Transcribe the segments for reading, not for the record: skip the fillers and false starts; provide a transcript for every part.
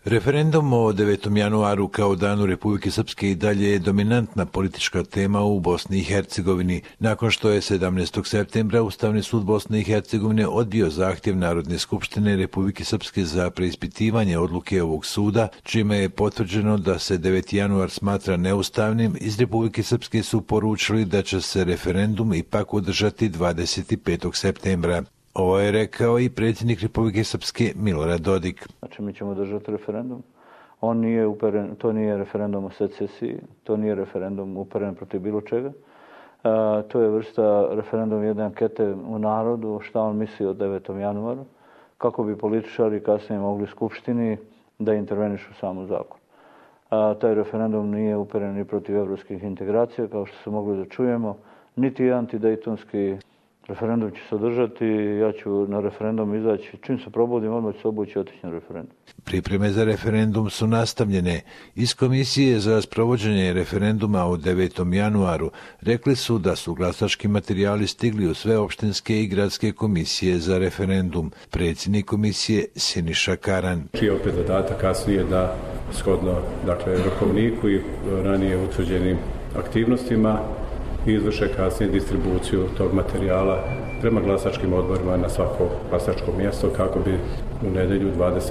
Referendum o 9. januaru kao danu Republike Srpske i dalje je dominantna politička tema u Bosni i Hercegovini, nakon što je 17. septembra Ustavni sud Bosne i Hercegovine odbio zahtjev Narodne skupštine Republike Srpske za preispitivanje odluke ovog suda, čime je potvrđeno da se 9. januar smatra neustavnim. Iz Republike Srpske su poručili da će se referendum ipak održati 25. septembra. Ovo je rekao i predsjednik Republike Srpske Milorad Dodik. Znači, mi ćemo držati referendum. To nije referendum o secesiji, to nije referendum uperen protiv bilo čega. To je vrsta referendum jedne ankete u narodu, šta on misli o 9. januaru, kako bi političari kasnije mogli Skupštini da intervenišu samo zakon. Taj referendum nije uperen ni protiv evropskih integracija, kao što se mogli da čujemo, niti antidejtonski. Referendum će se održati, ja ću na referendum izaći. Čim se probudim, odmah ću se obući i otići na referendum. Pripreme za referendum su nastavljene. Iz Komisije za sprovođenje referenduma o 9. januaru rekli su da su glasački materijali stigli u sve opštinske i gradske komisije za referendum. Predsjednik komisije Siniša Karan. Čiji je opet zadatak kasnije da shodno rokovniku i ranije utvrđenim aktivnostima izvrše kasnije distribuciju tog materijala prema glasačkim odborima na svako glasačko mjesto kako bi u nedjelju 25.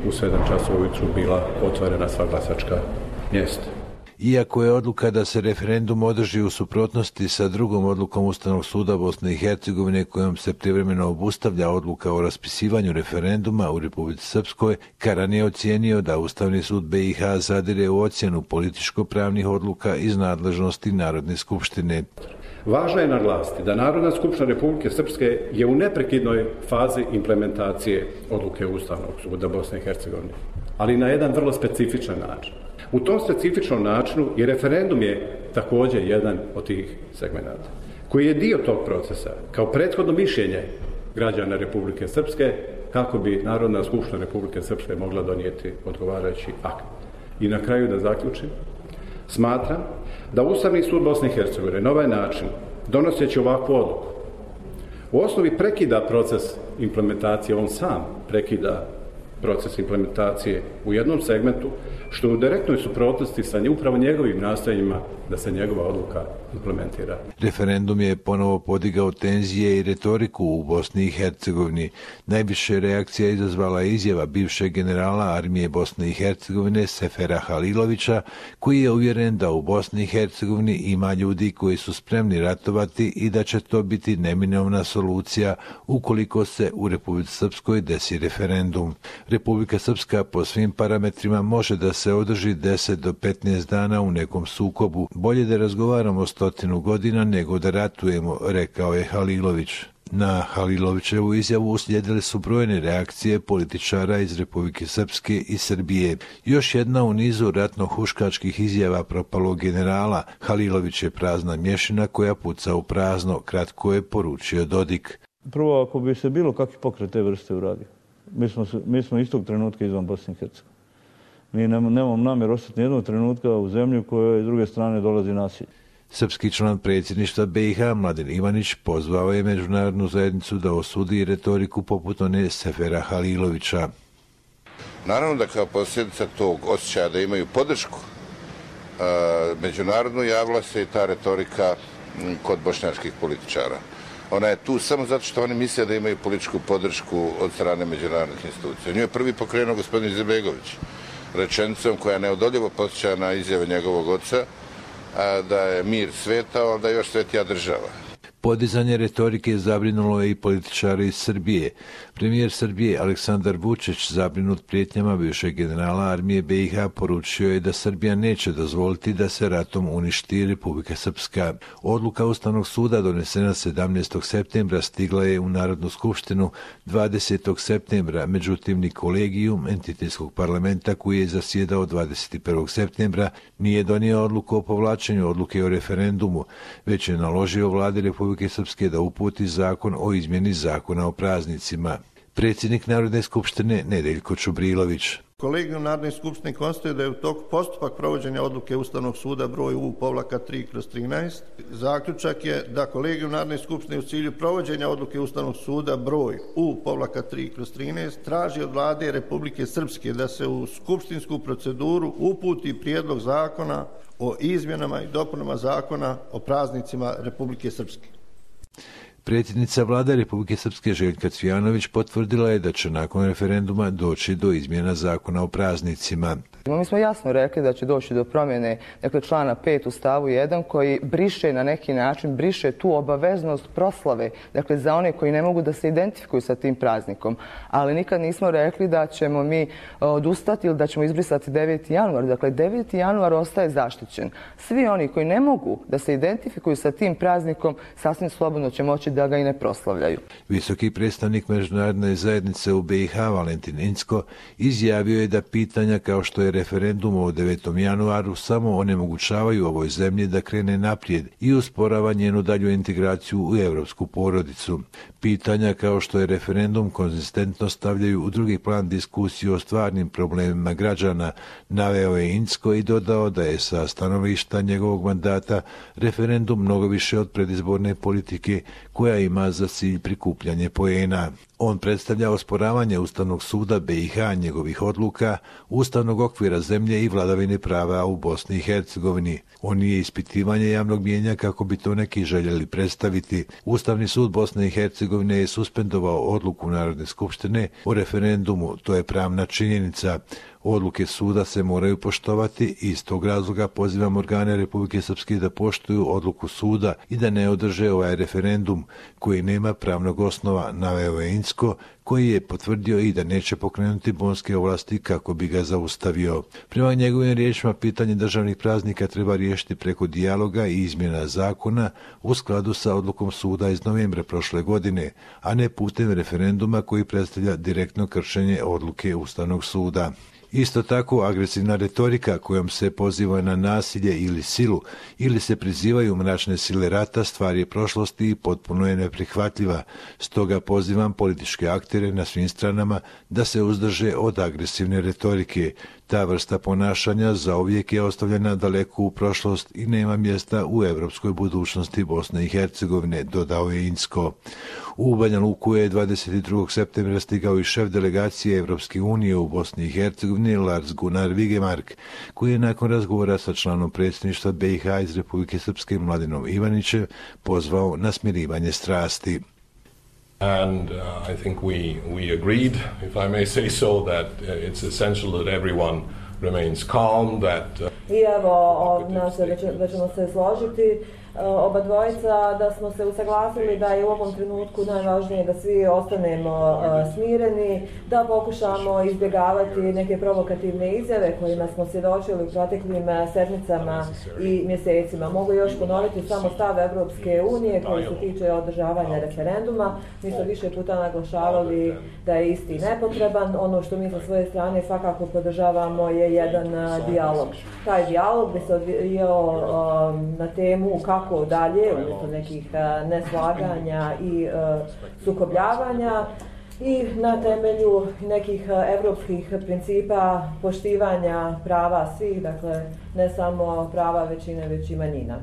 u 7 časova ujutru bila otvorena sva glasačka mjesta. Iako je odluka da se referendum održi u suprotnosti sa drugom odlukom Ustavnog suda Bosne i Hercegovine kojom se privremeno obustavlja odluka o raspisivanju referenduma u Republici Srpskoj, Karan je ocijenio da Ustavni sud BiH zadire u ocjenu političko-pravnih odluka iz nadležnosti Narodne skupštine. Važno je naglasiti da Narodna skupština Republike Srpske je u neprekidnoj fazi implementacije odluke Ustavnog suda Bosne i Hercegovine, ali na jedan vrlo specifičan način. U tom specifičnom načinu i referendum je također jedan od tih segmenata, koji je dio tog procesa, kao prethodno mišljenje građana Republike Srpske, kako bi Narodna skupština Republike Srpske mogla donijeti odgovarajući akt. I na kraju da zaključim, smatram da Ustavni sud Bosne i Hercegovine na ovaj način, donoseći ovakvu odluku, u osnovi prekida proces implementacije, on sam prekida proces implementacije u jednom segmentu, što u direktnoj suprotnosti sa upravo njegovim nastojanjima da se njegova odluka implementira. Referendum je ponovo podigao tenzije i retoriku u Bosni i Hercegovini. Najviše reakcija izazvala izjava bivšeg generala armije Bosne i Hercegovine Sefera Halilovića, koji je uvjeren da u Bosni i Hercegovini ima ljudi koji su spremni ratovati i da će to biti neminovna solucija ukoliko se u Republici Srpskoj desi referendum. Republika Srpska po svim parametrima može da se održi 10 do 15 dana u nekom sukobu. Bolje da razgovaramo 100 godina nego da ratujemo, rekao je Halilović. Na Halilovićevu izjavu uslijedile su brojne reakcije političara iz Republike Srpske i Srbije. Još jedna u nizu ratno-huškačkih izjava propalog generala. Halilović je prazna mješina koja puca u prazno, kratko je poručio Dodik. Prvo, ako bi se bilo kakvi pokret te vrste uradio, mi smo istog trenutka izvan Bosne i Hercegovine. Mi nemamo namjer ostati nijednog trenutka u zemlji u kojoj s druge strane dolazi nasilje. Srpski član predsjedništva BiH Mladen Ivanić pozvao je međunarodnu zajednicu da osudi retoriku poput one Sefera Halilovića. Naravno da kao posljedica tog osjećaja da imaju podršku međunarodnu javila se i ta retorika kod bošnjačkih političara. Ona je tu samo zato što oni misle da imaju političku podršku od strane međunarodnih institucija. Nju je prvi pokrenuo gospodin Izetbegović rečenicom koja neodoljivo podsjeća na izjave njegovog oca da je mir svetao, ali da je još svetija država. Podizanje retorike zabrinulo je i političare iz Srbije. Premijer Srbije Aleksandar Vučić, zabrinut prijetnjama bivšeg generala armije BiH, poručio je da Srbija neće dozvoliti da se ratom uništi Republika Srpska. Odluka Ustavnog suda donesena 17. septembra stigla je u Narodnu skupštinu 20. septembra, međutim ni kolegijum entitetskog parlamenta koji je zasjedao 21. septembra nije donio odluku o povlačenju odluke o referendumu, već je naložio vladi Republike Srpske da uputi zakon o izmjeni zakona o praznicima. Predsjednik Narodne skupštine Nedeljko Čubrilović. Kolegijum Narodne skupštine konstatuje da je u toku postupak provođenja odluke Ustavnog suda broj U-3/13. Zaključak je da Kolegijum Narodne skupštine u cilju provođenja odluke Ustavnog suda broj U-3/13 traži od Vlade Republike Srpske da se u skupštinsku proceduru uputi prijedlog zakona o izmjenama i dopunama zakona o praznicima Republike Srpske. Predsjednica Vlade Republike Srpske Željka Cvijanović potvrdila je da će nakon referenduma doći do izmjena zakona o praznicima. Mi smo jasno rekli da će doći do promjene člana 5 u stavu 1 koji briše na neki način, briše tu obaveznost proslave, za one koji ne mogu da se identifikuju sa tim praznikom. Ali nikad nismo rekli da ćemo mi odustati ili da ćemo izbrisati 9. januar. 9. januar ostaje zaštićen. Svi oni koji ne mogu da se identifikuju sa tim praznikom sasvim slobodno će moći da ga i ne proslavljaju. Visoki predstavnik međunarodne zajednice u BiH Valentin Incko izjavio je da pitanja kao što je referendum o 9. januaru samo onemogućavaju ovoj zemlji da krene naprijed i usporava njenu dalju integraciju u europsku porodicu. Pitanja kao što je referendum konzistentno stavljaju u drugi plan diskusiju o stvarnim problemima građana, naveo je Incko i dodao da je sa stanovišta njegovog mandata referendum mnogo više od predizborne politike koja ima za cilj prikupljanje poena. On predstavlja osporavanje Ustavnog suda BiH, njegovih odluka, ustavnog okvira zemlje i vladavine prava u Bosni i Hercegovini. On nije ispitivanje javnog mijenja kako bi to neki željeli predstaviti. Ustavni sud Bosne i Hercegovine je suspendovao odluku Narodne skupštine o referendumu, to je pravna činjenica. Odluke suda se moraju poštovati i iz tog razloga pozivam organe Republike Srpske da poštuju odluku suda i da ne održe ovaj referendum koji nema pravnog osnova, naveo je Incko, koji je potvrdio i da neće pokrenuti bonske ovlasti kako bi ga zaustavio. Prema njegovim riječima, pitanje državnih praznika treba riješiti preko dijaloga i izmjena zakona u skladu sa odlukom suda iz novembra prošle godine, a ne putem referenduma koji predstavlja direktno kršenje odluke Ustavnog suda. Isto tako, agresivna retorika kojom se poziva na nasilje ili silu ili se prizivaju mračne sile rata stvar je prošlosti i potpuno je neprihvatljiva. Stoga pozivam političke aktere na svim stranama da se uzdrže od agresivne retorike. Ta vrsta ponašanja zauvijek je ostavljena daleko u prošlost i nema mjesta u europskoj budućnosti Bosne i Hercegovine, dodao je Incko. U Banja Luku je 22. septembra stigao i šef delegacije Evropske unije u Bosni i Hercegovini Lars Gunnar Vigemark, koji je nakon razgovora sa članom predsjedništva BiH iz Republike Srpske Mladinom Ivanićem pozvao na smirivanje strasti. And I think we agreed, if I may say so, that it's essential that everyone remains calm, that... I evo, da ćemo se složiti oba dvojica, da smo se usaglasili da je u ovom trenutku najvažnije da svi ostanemo smireni, da pokušamo izbjegavati neke provokativne izjave kojima smo svjedočili u proteklim sedmicama i mjesecima. Mogu još ponoviti samo stav Evropske unije koji se tiče održavanja referenduma. Mi smo više puta naglašavali da je isti nepotreban. Ono što mi sa svoje strane svakako podržavamo je jedan dijalog. Taj dijalog bi se odvijao na temu kako dalje, umjesto nekih neslaganja i sukobljavanja i na temelju nekih evropskih principa poštivanja prava svih, dakle ne samo prava većine, već i manjina.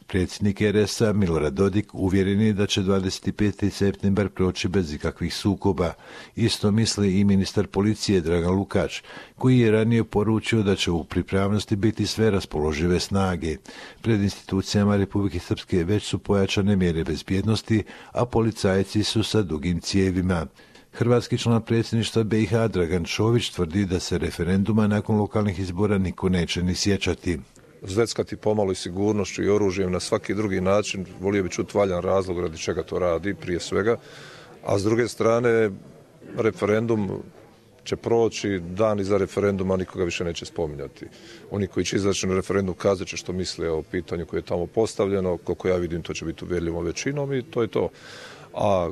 Predsjednik RS-a Milorad Dodik uvjeren je da će 25. septembar proći bez ikakvih sukoba. Isto misli i ministar policije Dragan Lukač, koji je ranije poručio da će u pripravnosti biti sve raspoložive snage. Pred institucijama Republike Srpske već su pojačane mjere bezbjednosti, a policajci su sa dugim cijevima. Hrvatski član predsjedništva BiH Dragan Čović tvrdi da se referenduma nakon lokalnih izbora niko neće ni sjećati. Zveckati pomalo i sigurnošću i oružjem na svaki drugi način, volio bi čuti valjan razlog radi čega to radi prije svega, a s druge strane referendum će proći, dan iza referenduma nikoga više neće spominjati. Oni koji će izaći na referendum kazat će što misle o pitanju koje je tamo postavljeno, koliko ja vidim to će biti uvjerljivom većinom i to je to. A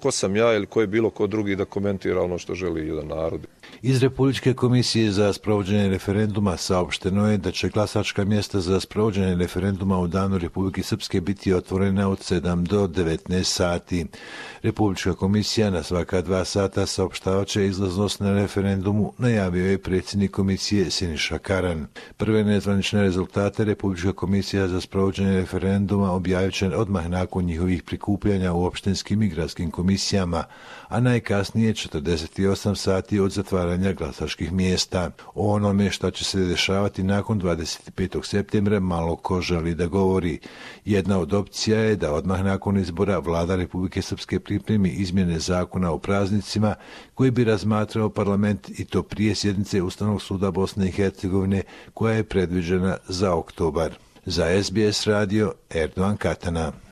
ko sam ja ili ko je bilo ko drugi da komentira ono što želi jedan narod. Iz Republičke komisije za sprovođenje referenduma saopšteno je da će glasačka mjesta za sprovođenje referenduma u danu Republike Srpske biti otvorena od 7 do 19 sati. Republička komisija na svaka 2 sata saopštavat će izlaznost na referendumu, najavio je predsjednik komisije Siniša Karan. Prve nezvanične rezultate Republička komisija za sprovođenje referenduma objavit će odmah nakon njihovih prikupljanja u opštinskim i gradskim komisijama, a najkasnije 48 sati od zatvaranja glasačkih mjesta. O onome što će se dešavati nakon 25. septembra malo ko želi da govori. Jedna od opcija je da odmah nakon izbora vlada Republike Srpske pripremi izmjene zakona o praznicima koji bi razmatrao parlament i to prije sjednice Ustavnog suda Bosne i Hercegovine koja je predviđena za oktobar. Za SBS radio Erdogan Katana.